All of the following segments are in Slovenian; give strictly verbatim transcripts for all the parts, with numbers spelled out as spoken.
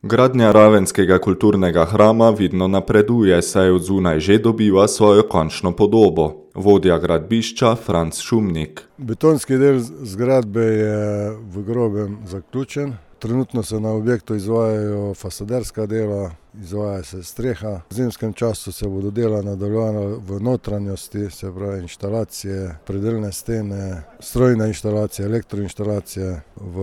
Gradnja ravenskega kulturnega hrama vidno napreduje, saj od zunaj že dobiva svojo končno podobo. Vodja gradbišča Franc Šumnik. Betonski del zgradbe je v grobem zaključen. Trenutno se na objektu izvajajo fasaderska dela, izvaja se streha. V zimskem času se bodo dela nadaljevala v notranjosti, se pravi inštalacije, predelne stene, strojne inštalacije, elektroinštalacije. V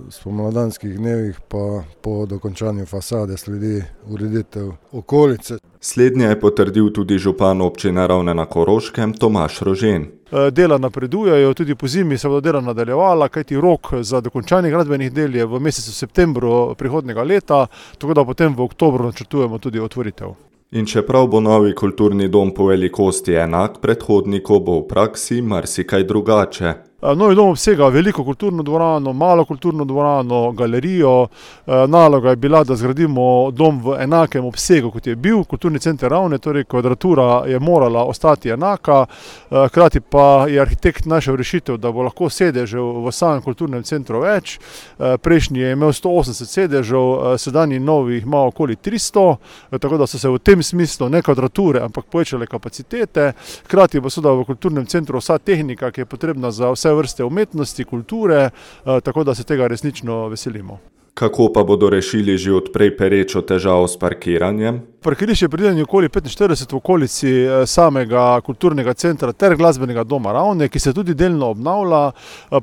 spomladanskih dnevih pa po dokončanju fasade sledi ureditev okolice. Slednje je potrdil tudi župan občine Ravne na Koroškem Tomaž Rožen. Dela napredujejo, tudi po zimi se bodo dela nadaljevala, kajti rok za dokončanje gradbenih del je v mesecu septembru prihodnjega leta, tako da potem v oktobru načrtujemo tudi otvoritev. In čeprav bo novi kulturni dom po velikosti enak predhodniku, bo v praksi marsikaj drugače. Novi dom obsega veliko kulturno dvorano, malo kulturno dvorano, galerijo. Naloga je bila, da zgradimo dom v enakem obsegu, kot je bil kulturni center Ravne, torej kvadratura je morala ostati enaka. Hkrati pa je arhitekt našel rešitev, da bo lahko sedežev v samem kulturnem centru več. Prejšnji je imel sto osemdeset sedežev, sedanji novi ima okoli tristo, tako da so se v tem smislu ne kvadrature, ampak povečale kapacitete. Hkrati pa seveda v kulturnem centru vsa tehnika, ki je potrebna za vse vrste umetnosti, kulture, tako da se tega resnično veselimo. Kako pa bodo rešili že odprej perečo težavo s parkiranjem? Parkirišče je predvideno okoli petinštirideset v okolici samega kulturnega centra ter glasbenega doma Ravne, ki se tudi delno obnavlja.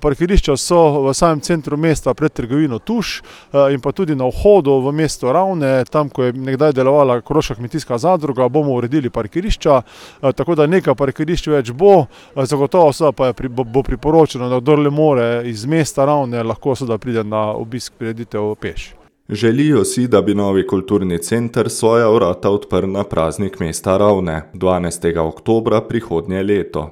Parkirišča so v samem centru mesta pred trgovino Tuš in pa tudi na vhodu v mesto Ravne, tam, ko je nekdaj delovala Koroška kmetijska zadruga, bomo uredili parkirišča, tako da nekaj parkirišč več bo, zagotovo pa je, bo priporočeno, da kdor le more iz mesta Ravne, lahko seveda pride na obisk prireditev peš. Želijo si, da bi novi kulturni center svoja vrata odprl na praznik mesta Ravne, dvanajstega oktobra prihodnje leto.